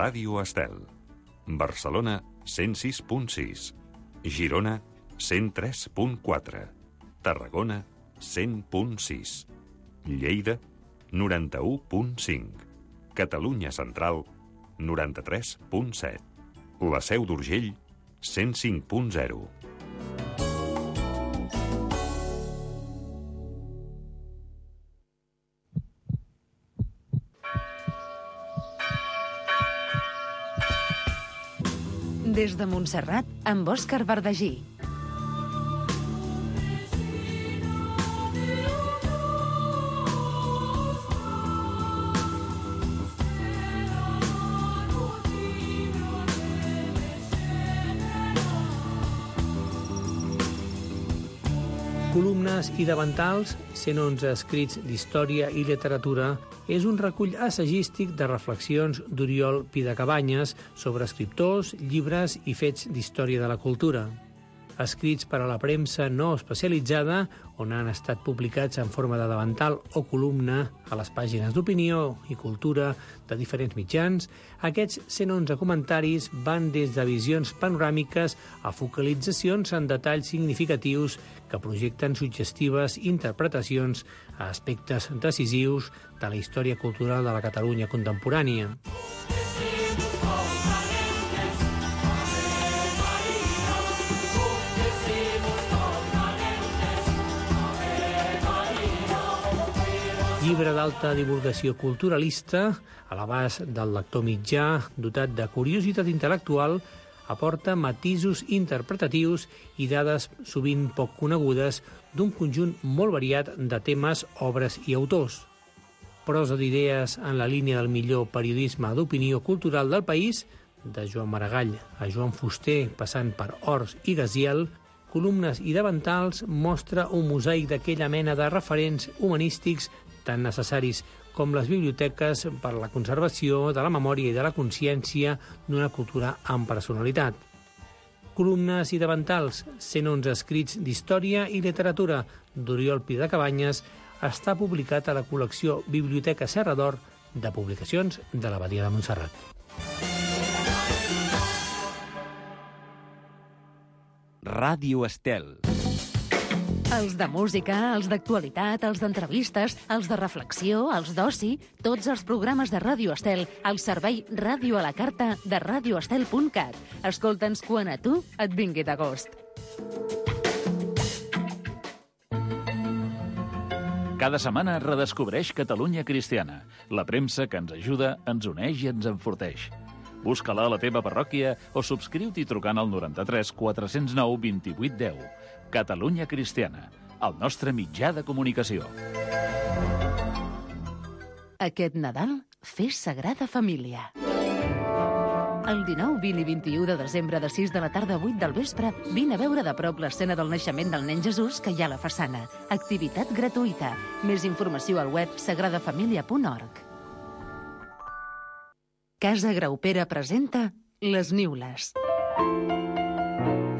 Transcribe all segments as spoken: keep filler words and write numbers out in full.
Ràdio Estel. Barcelona, cent sis punt sis. Girona, cent tres punt quatre. Tarragona, cent punt sis. Lleida, noranta-u punt cinc. Catalunya Central, noranta-tres punt set. La Seu d'Urgell, cent cinc punt zero. Des de Montserrat, amb Òscar Verdagí. Columnes i davantals, cent onze escrits d'història i literatura, és un recull assagístic de reflexions d'Oriol Pidecabanyes sobre escriptors, llibres i fets d'història de la cultura. Escrits per a la premsa no especialitzada, on han estat publicats en forma de davantal o columna a les pàgines d'opinió i cultura de diferents mitjans, aquests cent onze comentaris van des de visions panoràmiques a focalitzacions en detalls significatius que projecten suggestives interpretacions a aspectes decisius de la història cultural de la Catalunya contemporània. Llibre d'alta divulgació culturalista, a l'abast del lector mitjà, dotat de curiositat intel·lectual, aporta matisos interpretatius i dades sovint poc conegudes d'un conjunt molt variat de temes, obres i autors. Prosa d'idees en la línia del millor periodisme d'opinió cultural del país, de Joan Maragall a Joan Fuster, passant per Ors i Gaziel, columnes i davantals mostra un mosaic d'aquella mena de referents humanístics tan necessaris com les biblioteques per a la conservació de la memòria i de la consciència d'una cultura amb personalitat. Columnes i davantals, cent onze escrits d'història i literatura d'Oriol Pidecabanyes, està publicat a la col·lecció Biblioteca Serra d'Or de publicacions de l'Abadia de Montserrat. Ràdio Estel. Els de música, els d'actualitat, els d'entrevistes, els de reflexió, els d'oci, tots els programes de Ràdio Estel al servei Ràdio a la Carta de radio estel punt cat. Escolta'ns quan a tu et vingui de gust. Cada setmana redescobreix Catalunya Cristiana, la premsa que ens ajuda, ens uneix i ens enforteix. Busca-la a la teva parròquia o subscriu-t'hi trucant al noranta-tres quatre zero nou vint-i-vuit deu. Catalunya Cristiana, el nostre mitjà de comunicació. Aquest Nadal, fes Sagrada Família. El dinou, vint i vint-i-u de desembre, de sis de la tarda a vuit del vespre, vine a veure de prop l'escena del naixement del nen Jesús que hi ha a la façana. Activitat gratuïta. Més informació al web sagrada família punt org. Casa Graupera presenta Les Niules.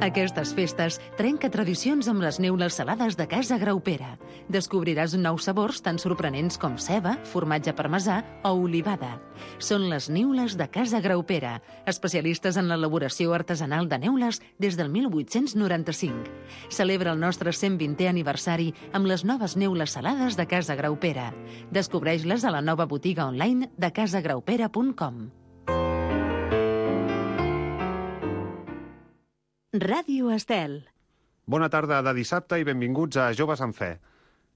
Aquestes festes trenca tradicions amb les neules salades de Casa Graupera. Descobriràs nous sabors tan sorprenents com ceba, formatge parmesà o olivada. Són les niules de Casa Graupera, especialistes en l'elaboració artesanal de neules des del mil vuit-cents noranta-cinc. Celebra el nostre cent vintè aniversari amb les noves neules salades de Casa Graupera. Descobreix-les a la nova botiga online de casa graupera punt com. Ràdio Estel. Bona tarda de dissabte i benvinguts a Joves en Fe.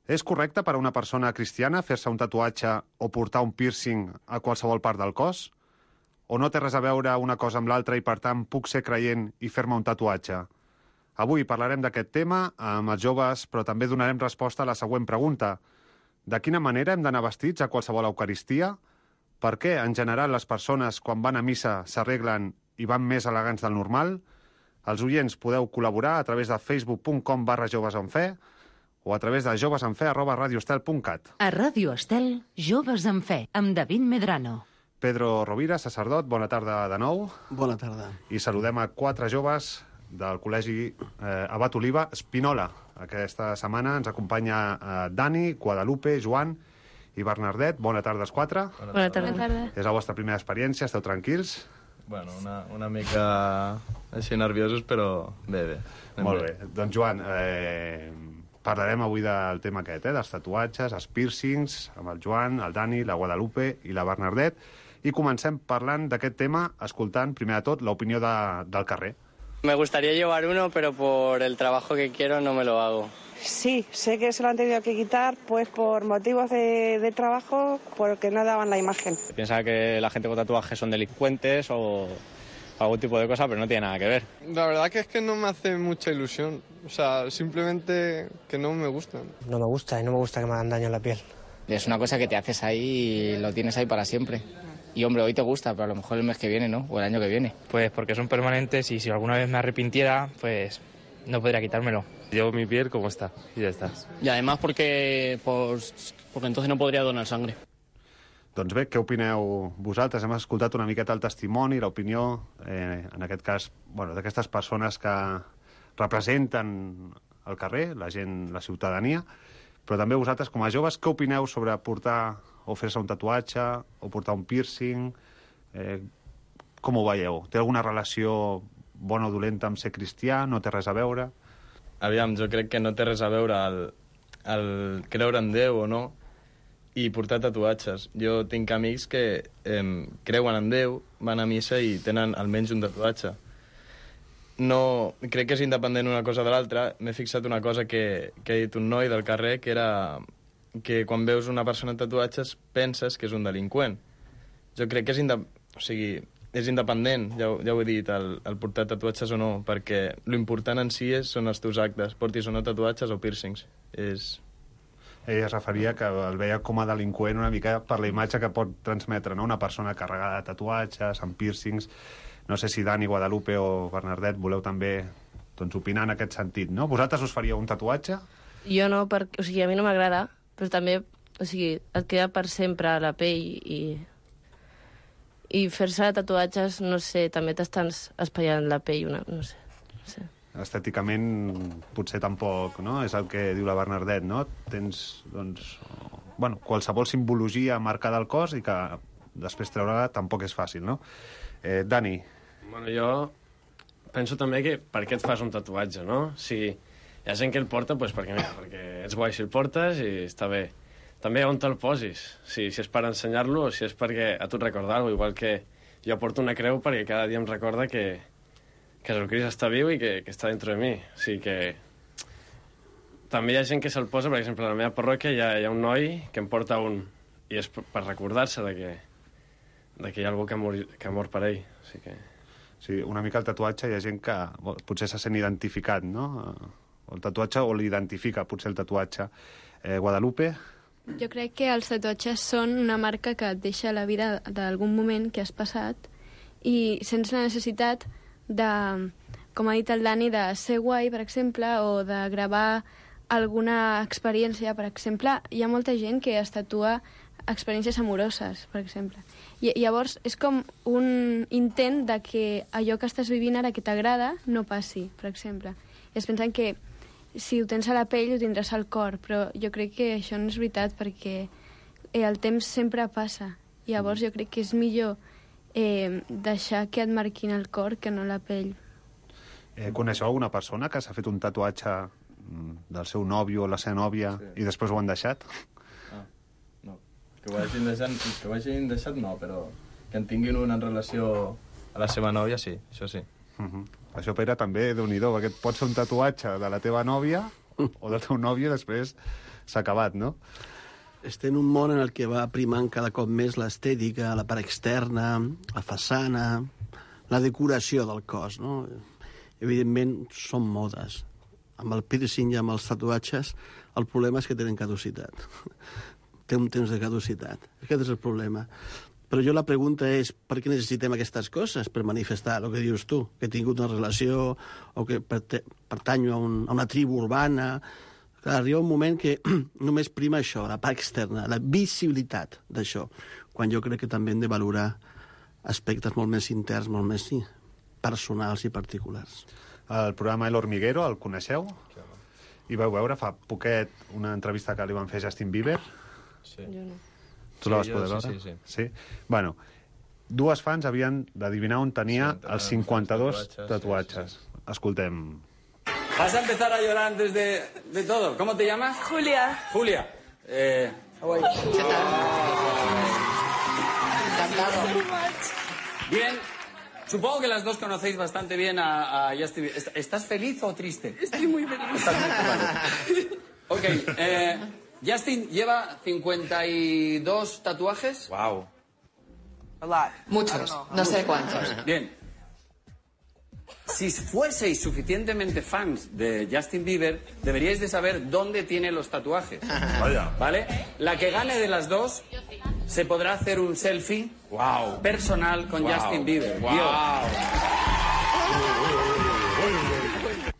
És correcte per a una persona cristiana fer-se un tatuatge o portar un piercing a qualsevol part del cos? O no té res a veure una cosa amb l'altra i, per tant, puc ser creient i fer-me un tatuatge? Avui parlarem d'aquest tema amb els joves, però també donarem resposta a la següent pregunta. De quina manera hem d'anar vestits a qualsevol eucaristia? Per què, en general, les persones, quan van a missa, s'arreglen i van més elegants del normal? Els oients podeu col·laborar a través de facebook punt com barra jovesenfe o a través de jovesenfe arroba radioestel punt cat. A Ràdio Estel, Joves en Fe, amb David Medrano. Pedro Rovira, sacerdot, bona tarda de nou. Bona tarda. I saludem a quatre joves del Col·legi eh, Abat Oliva Espinola. Aquesta setmana ens acompanya eh, Dani, Guadalupe, Joan i Bernardet. Bona tarda als quatre. Bona tarda. Bona tarda. És la vostra primera experiència, esteu tranquils? Bueno, una, una mica així nerviosos, però bé, bé. Molt bé. bé. Doncs, Joan, eh, parlarem avui del tema aquest, eh, dels tatuatges, els piercings, amb el Joan, el Dani, la Guadalupe i la Bernardet, i comencem parlant d'aquest tema, escoltant, primer de tot, l'opinió de, del carrer. Me gustaría llevar uno, pero por el trabajo que quiero no me lo hago. Sí, sé que se lo han tenido que quitar pues por motivos de, de trabajo, porque no daban la imagen. Piensa que la gente con tatuajes son delincuentes o algún tipo de cosa, pero no tiene nada que ver. La verdad que es que no me hace mucha ilusión, o sea, simplemente que no me gustan. No me gusta y no me gusta que me hagan daño en la piel. Es una cosa que te haces ahí y lo tienes ahí para siempre. Y hombre, hoy te gusta, pero a lo mejor el mes que viene, ¿no? O el año que viene. Pues porque son permanentes y si alguna vez me arrepintiera, pues no podría quitármelo. Llevo mi piel como está y ya está. Y además porque, pues, porque entonces no podría donar sangre. Doncs bé, què opineu vosaltres? Hem escoltat una miqueta el testimoni, l'opinió, eh, en aquest cas, bueno, d'aquestes persones que representen el carrer, la gent, la ciutadania, però també vosaltres, com a joves, què opineu sobre portar o fer-se un tatuatge, o portar un piercing? Eh, com ho veieu? Té alguna relació bona o dolenta amb ser cristià? No té res a veure? Aviam, jo crec que no té res a veure el, el creure en Déu o no i portar tatuatges. Jo tinc amics que eh, creuen en Déu, van a missa i tenen almenys un tatuatge. No, crec que és independent una cosa de l'altra. M'he fixat una cosa que, que ha dit un noi del carrer, que era que quan veus una persona amb tatuatges penses que és un delinqüent. Jo crec que és, inde... o sigui, és independent, ja, ja ho he dit, el, el portar tatuatges o no, perquè l'important en si és, són els teus actes, portis o no tatuatges o piercings. És... Ell es referia que el veia com a delinqüent una mica per la imatge que pot transmetre, no? Una persona carregada de tatuatges, amb piercings. No sé si Dani, Guadalupe o Bernardet voleu també doncs, opinar en aquest sentit, no? Vosaltres us faríeu un tatuatge? Jo no, perquè, o sigui, a mi no m'agrada, però també, o sigui, et queda per sempre a la pell i, i fer-se tatuatges, no sé, també t'estan espaiant la pell, una, no sé, no sé. Estèticament potser tampoc, no? És el que diu la Bernardet, no? Tens, doncs, bueno, qualsevol simbologia marcada al cos i que després treure-la tampoc és fàcil, no? Eh, Dani. Bueno, jo penso també que per què et fas un tatuatge, no? Si hi ha gent que el porta, doncs perquè, mira, perquè ets guai si el portes i està bé. També on te'l posis, si, si és per ensenyar-lo o si és perquè a tu et recorda alguna cosa, igual que jo porto una creu perquè cada dia em recorda que, que Jesucrist està viu i que, que està dintre de mi. O sigui que també hi ha gent que se'l posa, per exemple, a la meva parròquia hi ha, hi ha un noi que em porta un, i és per recordar-se de que, de que hi ha algú que ha, mort, que ha mort per ell. O sigui que... Sí, una mica el tatuatge hi ha gent que potser se sent identificat, no? El tatuatge o l'identifica, potser el tatuatge. Eh, Guadalupe? Jo crec que els tatuatges són una marca que et deixa la vida d'algun moment que has passat i sents la necessitat de, com ha dit el Dani, de ser guai, per exemple, o de gravar alguna experiència, per exemple. Hi ha molta gent que es tatua experiències amoroses, per exemple. I llavors és com un intent de que allò que estàs vivint ara que t'agrada no passi, per exemple. I es pensen que si ho tens a la pell ho tindràs al cor, però jo crec que això no és veritat perquè el temps sempre passa. I llavors jo crec que és millor eh, deixar que et marquin el cor que no la pell. Eh, coneixeu alguna persona que s'ha fet un tatuatge del seu nòvio o la seva nòvia sí. i després ho han deixat? Ah, no. Que ho hagin deixat, que ho hagin deixat no, però que en tinguin una en relació a la seva nòvia, sí, això sí. Uh-huh. Això, Pere, també, Déu-n'hi-do, perquè et pots fer un tatuatge de la teva nòvia o del teu nòvio i després s'ha acabat, no? Estem en un món en el que va primant cada cop més l'estètica, la part externa, la façana, la decoració del cos, no? Evidentment, són modes. Amb el piercing i amb els tatuatges, el problema és que tenen caducitat. Té un temps de caducitat. Aquest és el problema. Però jo la pregunta és, per què necessitem aquestes coses? Per manifestar el que dius tu, que he tingut una relació o que pertanyo a, un, a una tribu urbana. Clar, arriba un moment que només prima això, la part externa, la visibilitat d'això, quan jo crec que també hem de valorar aspectes molt més interns, molt més sí, personals i particulars. El programa El Hormiguero, el coneixeu? I vau veure fa poquet una entrevista que li van fer a Justin Bieber? Sí. Jo no. Tu la vas Sí, poder jo, veure? sí, sí, sí. Bueno, dues fans havien d'adivinar on tenia Sí, els cinquanta-dos tatuatges, tatuatges. sí, Escoltem. Vas a empezar a llorar antes de, de todo. ¿Cómo te llamas? Julia. Julia. Eh... Bien. Supongo que las dos conocéis bastante bien a, a Justin Bieber. ¿Est- ¿Estás feliz o triste? Estoy muy feliz. Estás muy feliz. Ok. Eh, Justin lleva cincuenta y dos tatuajes. Wow. A lot. Muchos. No sé cuántos. Bien. Si fueseis suficientemente fans de Justin Bieber, deberíais de saber dónde tiene los tatuajes. Vaya. ¿Vale? La que gane de las dos se podrá hacer un selfie Wow. personal con Wow. Justin Bieber. Wow. Yo.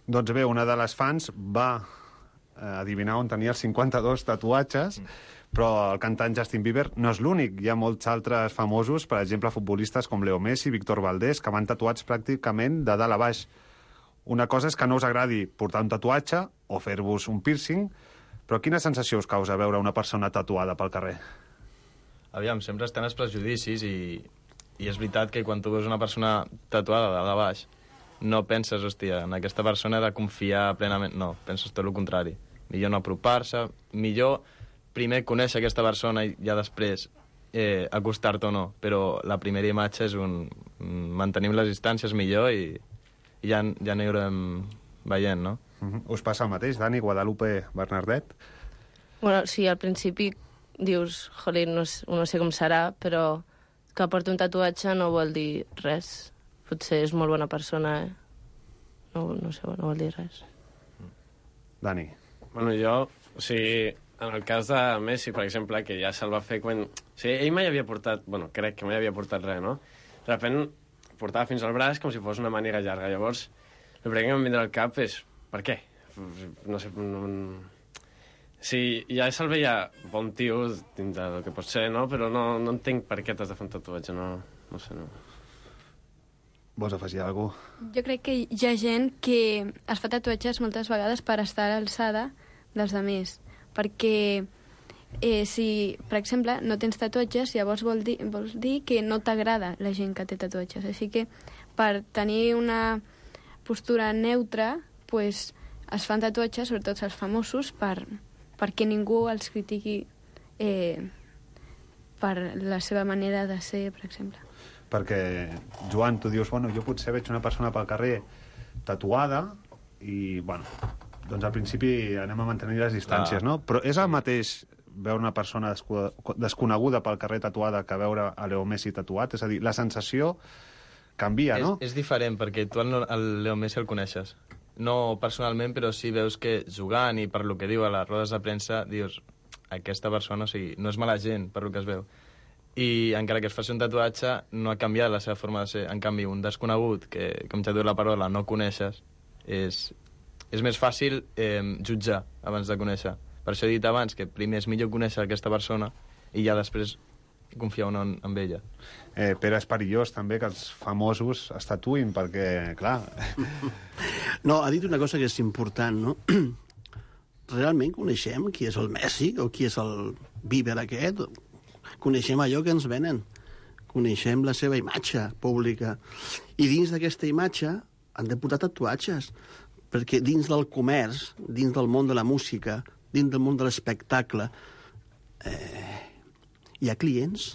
Doncs bé, una de les fans va eh, adivinar on tenia els cinquanta-dos tatuatges, però el cantant Justin Bieber no és l'únic. Hi ha molts altres famosos, per exemple, futbolistes com Leo Messi, Víctor Valdés, que van tatuats pràcticament de dalt a baix. Una cosa és que no us agradi portar un tatuatge o fer-vos un piercing, però quina sensació us causa veure una persona tatuada pel carrer? Aviam, sempre estan els prejudicis i, i és veritat que quan tu veus una persona tatuada de dalt a baix no penses, hòstia, en aquesta persona he de confiar plenament. No, penses tot el contrari. Millor no apropar-se, millor primer conèixer aquesta persona i ja després eh, acostar-te o no, però la primera imatge és un... mantenim les distàncies millor i, i ja, ja anirem veient, no? Uh-huh. Us passa el mateix, Dani, Guadalupe, Bernardet? Bueno, sí, al principi dius, jolín, no, s- no sé com serà, però que porti un tatuatge no vol dir res. Potser és molt bona persona, eh? No, no sé, no vol dir res. Dani. Bueno, jo, o sigui, en el cas de Messi, per exemple, que ja se'l va fer quan... O sigui, ell mai havia portat... Bueno, crec que mai havia portat res, no? De repent portava fins al braç com si fos una màniga llarga. Llavors, el primer que em vindrà al cap és... Per què? No sé... No... Sí, ja se'l veia bon tio dins del que pot ser, no? Però no, no entenc per què t'has de fer un tatuatge, no... No sé, no... Vols afegir alguna cosa? Jo crec que hi ha gent que es fa tatuatges moltes vegades per estar a l'alçada dels altres, perquè eh, si, per exemple, no tens tatuatges, llavors vol dir, vols dir que no t'agrada la gent que té tatuatges. Així que per tenir una postura neutra, pues, es fan tatuatges, sobretot els famosos, per, perquè ningú els critiqui eh, per la seva manera de ser, per exemple. Perquè, Joan, tu dius, bueno, jo potser veig una persona pel carrer tatuada i, bueno, doncs al principi anem a mantenir les distàncies, Clar. no? Però és el mateix veure una persona desco- desconeguda pel carrer tatuada que veure a Leo Messi tatuat? És a dir, la sensació canvia, no? És, és diferent, perquè tu el, el Leo Messi el coneixes. No personalment, però sí veus que jugant i per lo que diu a les rodes de premsa, dius, aquesta persona, o sigui, no és mala gent, per lo que es veu. I encara que es faci un tatuatge, no ha canviat la seva forma de ser. En canvi, un desconegut, que, com ja diu la paraula, no coneixes, és, és més fàcil eh, jutjar abans de conèixer. Per això he dit abans que primer és millor conèixer aquesta persona i ja després confiar un en, en ella. Eh, però és perillós també que els famosos es tatuïn, perquè, clar... No, ha dit una cosa que és important, no? Realment coneixem qui és el Messi o qui és el Bieber aquest? Coneixem allò que ens venen. Coneixem la seva imatge pública. I dins d'aquesta imatge han de posar tatuatges, perquè dins del comerç, dins del món de la música, dins del món de l'espectacle, eh, hi ha clients.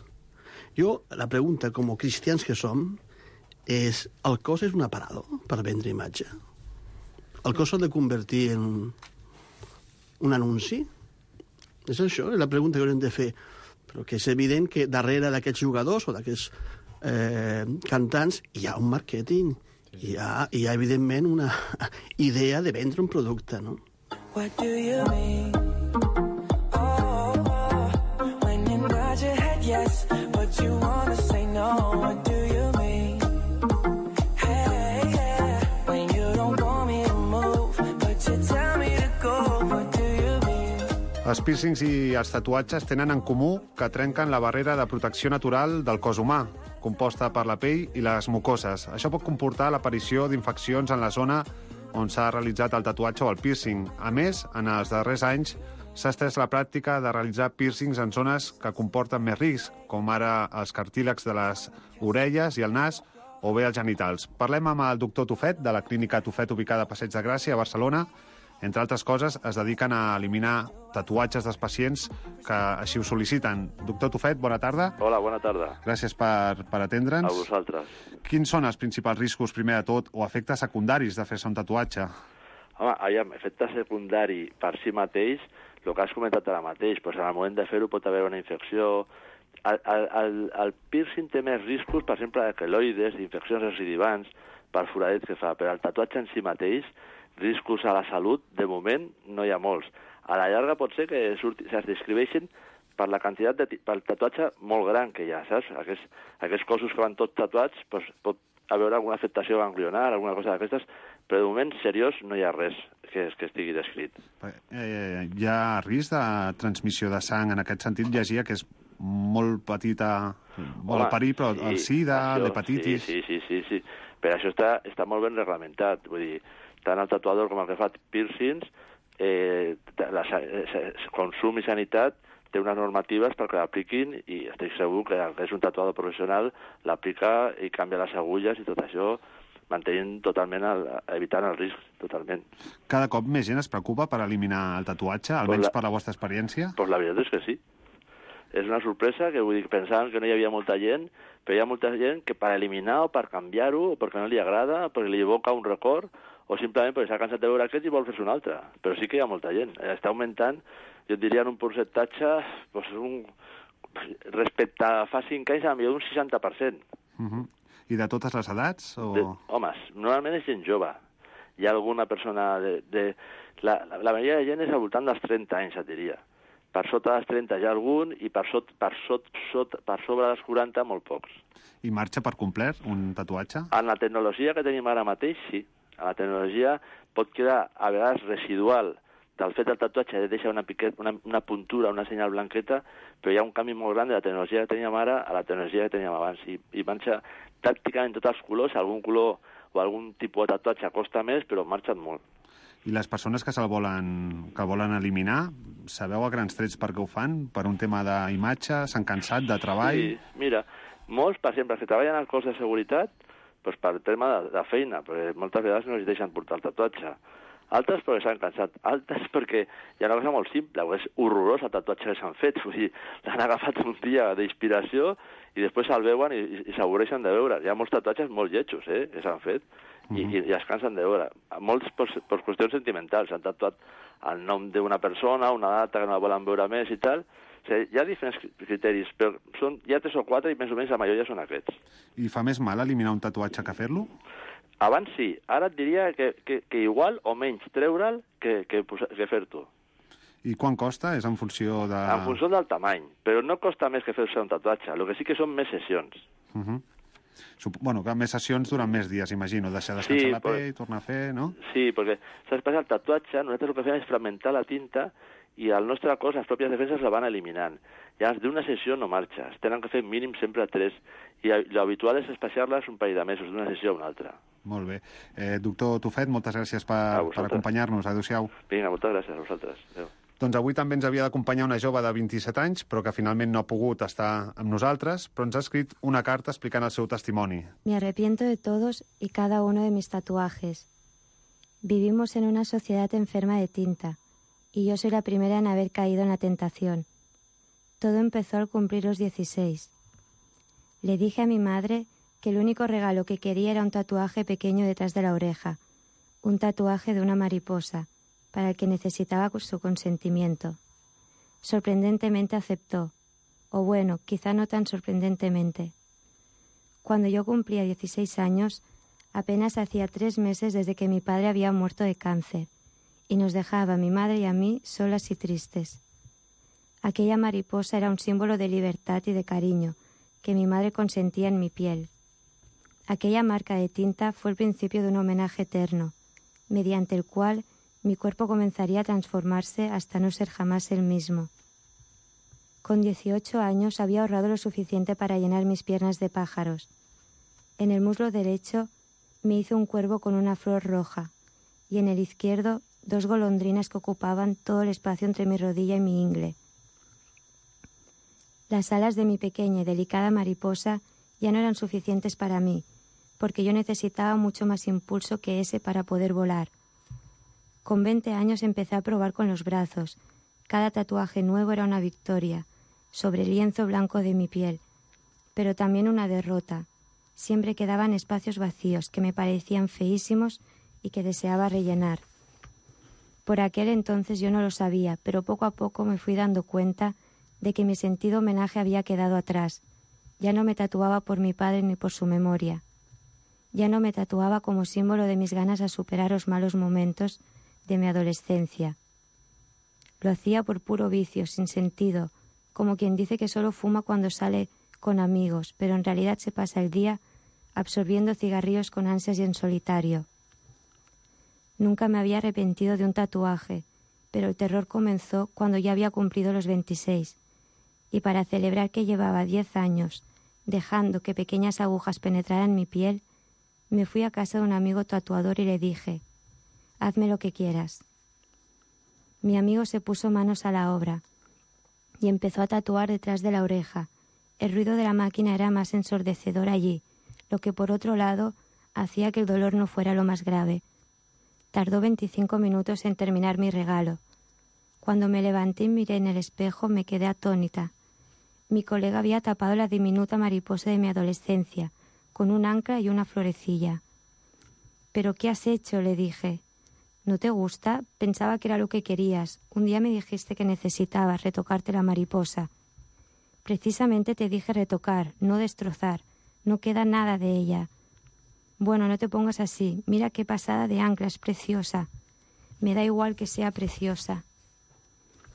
Jo, la pregunta, com a cristians que som, és, el cos és un aparador per vendre imatge? El cos s'ha de convertir en un anunci? És això, és la pregunta que haurem de fer. Però que és evident que darrere d'aquests jugadors o d'aquests eh, cantants hi ha un màrqueting, hi ha, hi ha evidentment una idea de vendre un producte, no? What do you mean? Oh, oh, when you nod your head yes, but you wanna say no. What do you mean? Hey, yeah, when you don't want me to move, but you tell me to go. What do you mean? Els piercings i els tatuatges tenen en comú que trenquen la barrera de protecció natural del cos humà, composta per la pell i les mucoses. Això pot comportar l'aparició d'infeccions en la zona on s'ha realitzat el tatuatge o el piercing. A més, en els darrers anys, s'ha estès la pràctica de realitzar pírcings en zones que comporten més risc, com ara els cartílegs de les orelles i el nas, o bé els genitals. Parlem amb el doctor Tufet, de la clínica Tufet, ubicada a Passeig de Gràcia, a Barcelona. Entre altres coses, es dediquen a eliminar tatuatges dels pacients que així ho sol·liciten. Doctor Tufet, bona tarda. Hola, bona tarda. Gràcies per, per atendre'ns. A vosaltres. Quins són els principals riscos, primer de tot, o efectes secundaris de fer-se un tatuatge? Home, aviam, efecte secundari per si mateix, el que has comentat ara mateix, doncs en el moment de fer-ho pot haver una infecció. El, el, el, el piercing té més riscos, per exemple, de queloides, d'infeccions recidivants, per foradets que fa, però el tatuatge en si mateix, riscos a la salut, de moment, no hi ha molts. A la llarga pot ser que surti, es descriveixen per la quantitat de pel tatuatge molt gran que hi ha, saps? Aquests, aquests cossos que van tots tatuats, doncs, pot haver alguna afectació ganglionar, alguna cosa d'aquestes, però de moment, seriós, no hi ha res que, que estigui descrit. Eh, hi ha risc de transmissió de sang, en aquest sentit llegia que és molt petita, molt perill, però el sida, l'hepatitis... Sí, sí, sí, sí, sí. Per això està, està molt ben reglamentat, vull dir, tant el tatuador com el que fa piercings, eh, la, eh, consum i sanitat té unes normatives perquè l'apliquin i estic segur que el que és un tatuador professional l'aplica i canvia les agulles i tot això mantenint totalment, el, evitant el risc totalment. Cada cop més gent es preocupa per eliminar el tatuatge, almenys pues la, per la vostra experiència? Pues la veritat és que sí. És una sorpresa que vull dir, pensaven que no hi havia molta gent, però hi ha molta gent que per eliminar o per canviar-ho, o perquè no li agrada, perquè li evoca un record, o simplement perquè s'ha cansat de veure aquest i vol fer-se un altre. Però sí que hi ha molta gent. Està augmentant, jo diria, en un percentatge, doncs un, respecte a fa cinc anys, a millor un seixanta per cent. Uh -huh. I de totes les edats? O... De, homes, normalment és gent jove. Hi ha alguna persona de... de la, la, la majoria de gent és al voltant dels trenta anys, et diria. Per sota dels trenta hi ha algun i per, sot, per, sot, sot, per sobre dels quaranta molt pocs. I marxa per complet un tatuatge? En la tecnologia que tenim ara mateix, sí. A la tecnologia pot quedar a vegades residual del fet del tatuatge, deixa una, piquet, una, una puntura, una senyal blanqueta, però hi ha un canvi molt gran de la tecnologia que teníem ara a la tecnologia que teníem abans. I, i marxa pràcticament tots els colors, algun color o algun tipus de tatuatge costa més, però marxen molt. I les persones que se'l volen, que el volen eliminar, sabeu a grans trets per què ho fan? Per un tema d'imatge? S'han cansat de treball? Sí, mira, molts, per exemple, que treballen al cos de seguretat, doncs per tema de, de feina, perquè moltes vegades no els deixen portar el tatuatge. Altres perquè s'han cansat, altres perquè hi ha una cosa molt simple, és horrorós el tatuatge que s'han fet, vull dir, l'han agafat un dia d'inspiració i després se'l veuen i, i, i s'avorreixen de veure. Hi ha molts tatuatges molt lletjos, eh, que s'han fet i, uh -huh. i, i es cansen de veure. Molts per, per qüestions sentimentals, s'han tatuat el nom d'una persona, una data que no la volen veure més i tal. O sigui, hi ha diferents criteris, però són, hi ha tres o quatre i més o menys la majoria són aquests. I fa més mal eliminar un tatuatge que fer-lo? Abans sí, ara et diria que, que, que igual o menys treure'l que, que, que fer-t'ho. I quan costa? És en funció de... En funció del tamany, però no costa més que fer-se un tatuatge, el que sí que són més sessions. Uh -huh. Sup bueno, que més sessions duren més dies, imagino, deixar descansar sí, la pell, però... tornar a fer, no? Sí, perquè, saps, passa el tatuatge, nosaltres el que fem és fragmentar la tinta i al nostre cos les pròpies defenses la van eliminant. Llavors, d'una sessió no marxa, es tenen que fer mínim sempre tres, i l'habitual és espaciar-les un parell de mesos, d'una sessió a una altra. Molt bé. Eh, doctor Tufet, moltes gràcies per, per acompanyar-nos. Adéu-siau. Vinga, moltes gràcies a vosaltres. Adéu. Doncs avui també ens havia d'acompanyar una jove de vint-i-set anys, però que finalment no ha pogut estar amb nosaltres, però ens ha escrit una carta explicant el seu testimoni. Me arrepiento de todos y cada uno de mis tatuajes. Vivimos en una sociedad enferma de tinta, y yo soy la primera en haber caído en la tentación. Todo empezó al cumplir los dieciséis. Le dije a mi madre que el único regalo que quería era un tatuaje pequeño detrás de la oreja, un tatuaje de una mariposa, para el que necesitaba su consentimiento. Sorprendentemente aceptó, o bueno, quizá no tan sorprendentemente. Cuando yo cumplía dieciséis años, apenas hacía tres meses desde que mi padre había muerto de cáncer, y nos dejaba a mi madre y a mí solas y tristes. Aquella mariposa era un símbolo de libertad y de cariño que mi madre consentía en mi piel. Aquella marca de tinta fue el principio de un homenaje eterno, mediante el cual mi cuerpo comenzaría a transformarse hasta no ser jamás el mismo. Con dieciocho años había ahorrado lo suficiente para llenar mis piernas de pájaros. En el muslo derecho me hizo un cuervo con una flor roja, y en el izquierdo dos golondrinas que ocupaban todo el espacio entre mi rodilla y mi ingle. Las alas de mi pequeña y delicada mariposa ya no eran suficientes para mí, porque yo necesitaba mucho más impulso que ese para poder volar. Con veinte años empecé a probar con los brazos. Cada tatuaje nuevo era una victoria, sobre el lienzo blanco de mi piel, pero también una derrota. Siempre quedaban espacios vacíos que me parecían feísimos y que deseaba rellenar. Por aquel entonces yo no lo sabía, pero poco a poco me fui dando cuenta de que mi sentido homenaje había quedado atrás. Ya no me tatuaba por mi padre ni por su memoria. Ya no me tatuaba como símbolo de mis ganas a superar los malos momentos de mi adolescencia. Lo hacía por puro vicio, sin sentido, como quien dice que solo fuma cuando sale con amigos, pero en realidad se pasa el día absorbiendo cigarrillos con ansias y en solitario. Nunca me había arrepentido de un tatuaje, pero el terror comenzó cuando ya había cumplido los veintiséis, y para celebrar que llevaba diez años dejando que pequeñas agujas penetraran mi piel, me fui a casa de un amigo tatuador y le dije: «Hazme lo que quieras». Mi amigo se puso manos a la obra y empezó a tatuar detrás de la oreja. El ruido de la máquina era más ensordecedor allí, lo que por otro lado hacía que el dolor no fuera lo más grave. Tardó veinticinco minutos en terminar mi regalo. Cuando me levanté y miré en el espejo me quedé atónita. Mi colega había tapado la diminuta mariposa de mi adolescencia, con un ancla y una florecilla. «¿Pero qué has hecho?», le dije. «¿No te gusta? Pensaba que era lo que querías. Un día me dijiste que necesitabas retocarte la mariposa». «Precisamente te dije retocar, no destrozar. No queda nada de ella». «Bueno, no te pongas así. Mira qué pasada de ancla, es preciosa». «Me da igual que sea preciosa».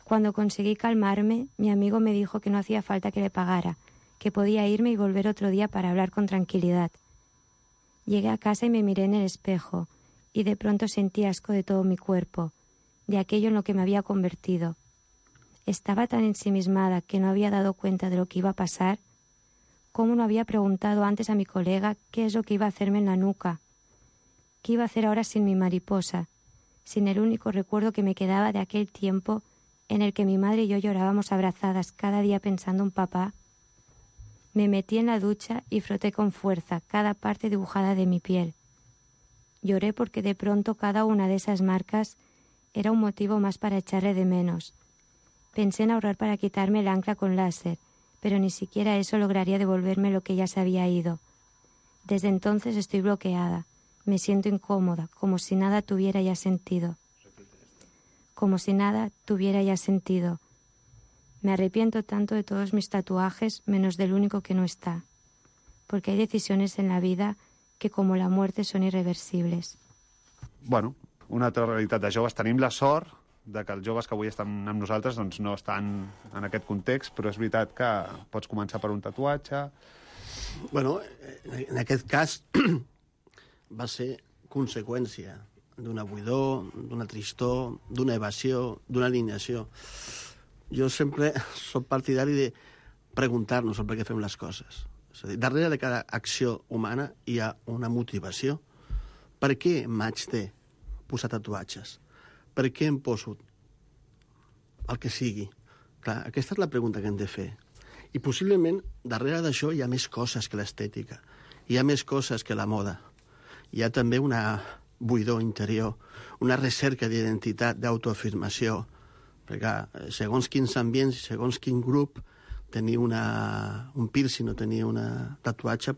Cuando conseguí calmarme, mi amigo me dijo que no hacía falta que le pagara, que podía irme y volver otro día para hablar con tranquilidad. Llegué a casa y me miré en el espejo, y de pronto sentí asco de todo mi cuerpo, de aquello en lo que me había convertido. Estaba tan ensimismada que no había dado cuenta de lo que iba a pasar. ¿Cómo no había preguntado antes a mi colega qué es lo que iba a hacerme en la nuca? ¿Qué iba a hacer ahora sin mi mariposa? Sin el único recuerdo que me quedaba de aquel tiempo en el que mi madre y yo llorábamos abrazadas cada día pensando en papá. Me metí en la ducha y froté con fuerza cada parte dibujada de mi piel. Lloré porque de pronto cada una de esas marcas era un motivo más para echarle de menos. Pensé en ahorrar para quitarme el ancla con láser, pero ni siquiera eso lograría devolverme lo que ya se había ido. Desde entonces estoy bloqueada. Me siento incómoda, como si nada tuviera ya sentido. Como si nada tuviera ya sentido. Me arrepiento tanto de todos mis tatuajes, menos del único que no está. Porque hay decisiones en la vida que, como la muerte, són irreversibles. Bueno, una altra realitat de joves. Tenim la sort de que els joves que avui estan amb nosaltres doncs no estan en aquest context, però és veritat que pots començar per un tatuatge. Bueno, en aquest cas va ser conseqüència d'una buidor, d'una tristor, d'una evasió, d'una alienació. Jo sempre soc partidari de preguntar-nos el per què fem les coses. És a dir, darrere de cada acció humana hi ha una motivació. Per què m'haig de posar tatuatges? Per què em poso el que sigui? Clar, aquesta és la pregunta que hem de fer. I possiblement darrere d'això hi ha més coses que l'estètica. Hi ha més coses que la moda. Hi ha també una buidor interior, una recerca d'identitat, d'autoafirmació, perquè segons quins ambients, segons quin grup, tenir una, un piercing o tenir una tatuatge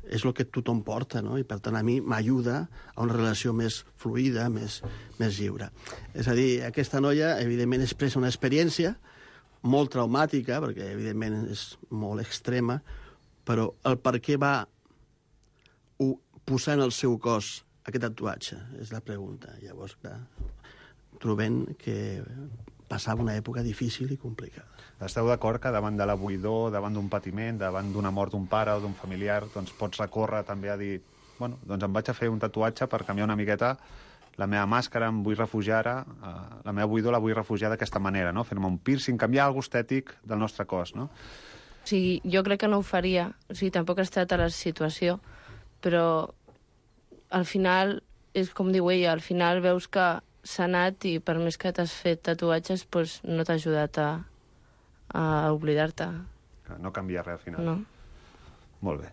és el que tothom porta, no? I per tant a mi m'ajuda a una relació més fluida, més, més lliure. És a dir, aquesta noia evidentment expressa una experiència molt traumàtica, perquè evidentment és molt extrema, però el per què va posar en el seu cos aquest tatuatge és la pregunta. Llavors, clar, trobem que passava una època difícil i complicada. Esteu d'acord que davant de la buidor, davant d'un patiment, davant d'una mort d'un pare o d'un familiar, doncs pots recórrer també a dir, bueno, doncs em vaig a fer un tatuatge per canviar una miqueta la meva màscara, em vull refugiar ara, eh, la meva buidor la vull refugiar d'aquesta manera, no? Fer-me un piercing, canviar alguna cosa estètic del nostre cos, no? O sigui, jo crec que no ho faria, o sigui, tampoc he estat a la situació, però al final és com diu ella, al final veus que s'ha anat i per més que t'has fet tatuatges, doncs no t'ha ajudat a, a oblidar-te. No canvia res al final. No. Molt bé.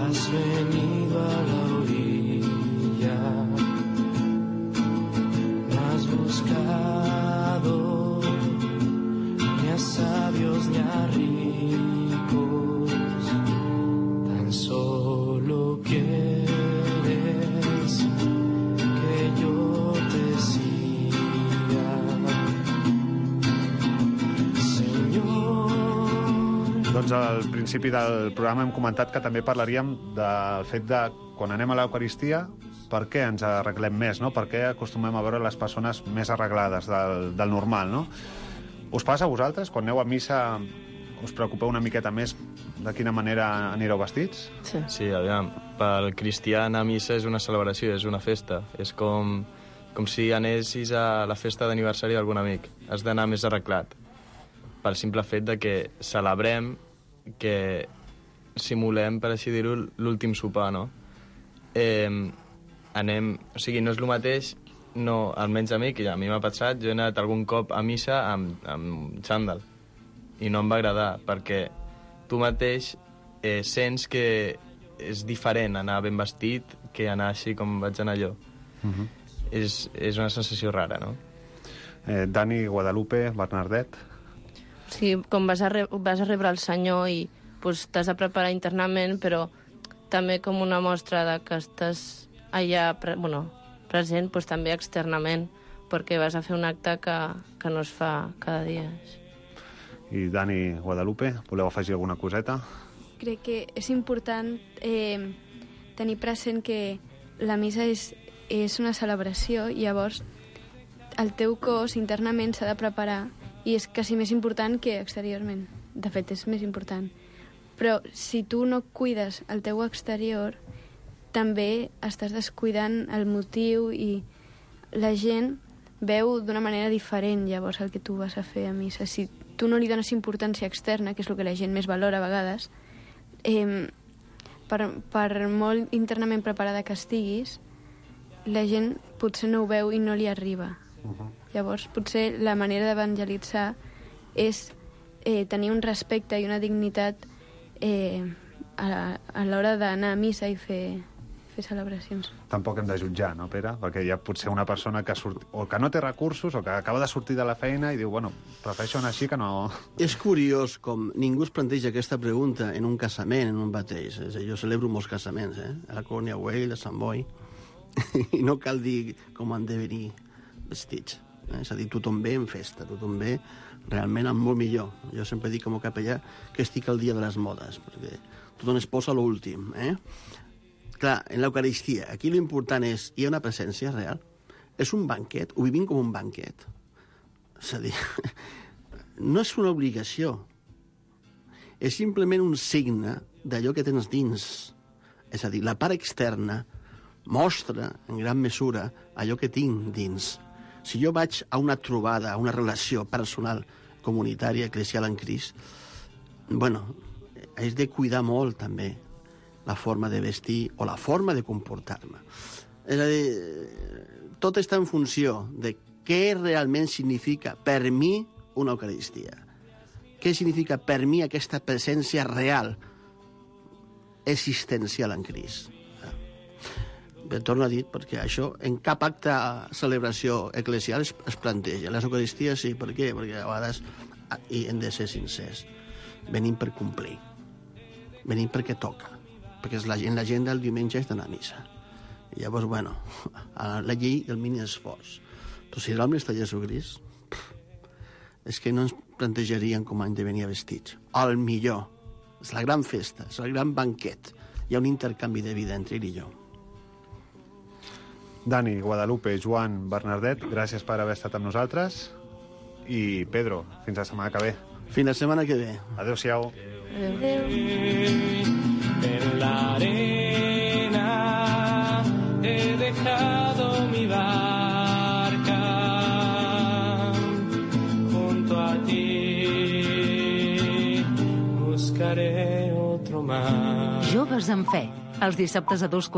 Has venido a la orilla, me has buscado, ni a sabios ni a ricos, tan solo quieres que yo te siga, Señor. Doncs al principi del programa hem comentat que també parlaríem del fet de, quan anem a l'Eucaristia, per què ens arreglem més, no? Per què acostumem a veure les persones més arreglades del, del normal, no? Us passa a vosaltres? Quan aneu a missa us preocupeu una miqueta més de quina manera anireu vestits? Sí. Sí, aviam, pel cristià anar a missa és una celebració, és una festa. És com, com si anessis a la festa d'aniversari d'algun amic. Has d'anar més arreglat. Pel simple fet de que celebrem, que simulem, per així dir-ho, l'últim sopar, no? Eh, anem... O sigui, no és el mateix, no, almenys a mi, que ja a mi m'ha passat, jo he anat algun cop a missa amb, amb xandall, i no em va agradar, perquè tu mateix eh, sents que és diferent anar ben vestit que anar així com vaig anar jo. Uh-huh. És, és una sensació rara, no? Eh, Dani, Guadalupe, Bernardet... Sí, com vas a, re vas a rebre el Senyor i pues, t'has de preparar internament, però també com una mostra de que estàs allà pre bueno, present, pues, també externament, perquè vas a fer un acte que, que no es fa cada dia. I Dani, Guadalupe, voleu afegir alguna coseta? Crec que és important eh, tenir present que la missa és, és una celebració i llavors el teu cos internament s'ha de preparar i és quasi més important que exteriorment. De fet, és més important. Però si tu no cuides el teu exterior, també estàs descuidant el motiu i la gent veu d'una manera diferent llavors el que tu vas a fer a missa. Si tu no li dones importància externa, que és el que la gent més valora a vegades, eh, per, per molt internament preparada que estiguis, la gent potser no ho veu i no li arriba. Uh-huh. Llavors, potser la manera d'evangelitzar és eh, tenir un respecte i una dignitat eh, a, a l'hora d'anar a missa i fer, fer celebracions. Tampoc hem de jutjar, no, Pere? Perquè hi ha potser una persona que, surt, o que no té recursos o que acaba de sortir de la feina i diu, bueno, prefereixo anar així que no... És curiós com ningú es planteja aquesta pregunta en un casament, en un bateix. És a dir, jo celebro molts casaments, eh? A la Colònia Güell, a Sant Boi, i no cal dir com han de venir vestits. Eh? És a dir, tothom ve en festa, tothom ve realment amb molt millor. Jo sempre dic com a capellà que estic al dia de les modes, perquè tothom es posa l'últim. Eh? Clar, en l'Eucaristia, aquí l'important és, hi ha una presència real? És un banquet? Ho vivim com un banquet? És a dir, no és una obligació. És simplement un signe d'allò que tens dins. És a dir, la part externa mostra, en gran mesura, allò que tinc dins. Si jo vaig a una trobada, a una relació personal, comunitària, eclesial en Crist, bueno, és de cuidar molt, també, la forma de vestir o la forma de comportar-me. És a dir, tot està en funció de què realment significa per mi una Eucaristia. Què significa per mi aquesta presència real, existencial en Crist. Bé, torno a dir, perquè això en cap acte celebració eclesial es, es planteja. Les Eucaristies sí, per què? Perquè a vegades, i hem de ser sincers, venim per complir. Venim perquè toca. Perquè és la, en l'agenda el diumenge és d'anar a missa. I llavors, bueno, a la llei del mínim esforç. Però si realment està Jesucrist, és que no ens plantejarien com han de venir vestits. Al millor. És la gran festa, és el gran banquet. Hi ha un intercanvi de vida entre ell i jo. Dani, Guadalupe, Joan, Bernardet, gràcies per haver estat amb nosaltres. I Pedro, fins la setmana que ve. Fins la setmana que ve. Adéu-siau. En la arena he dejado mi barca junto a ti buscaré otro mar. Joves en Fe, Els dissabtes a dos quarts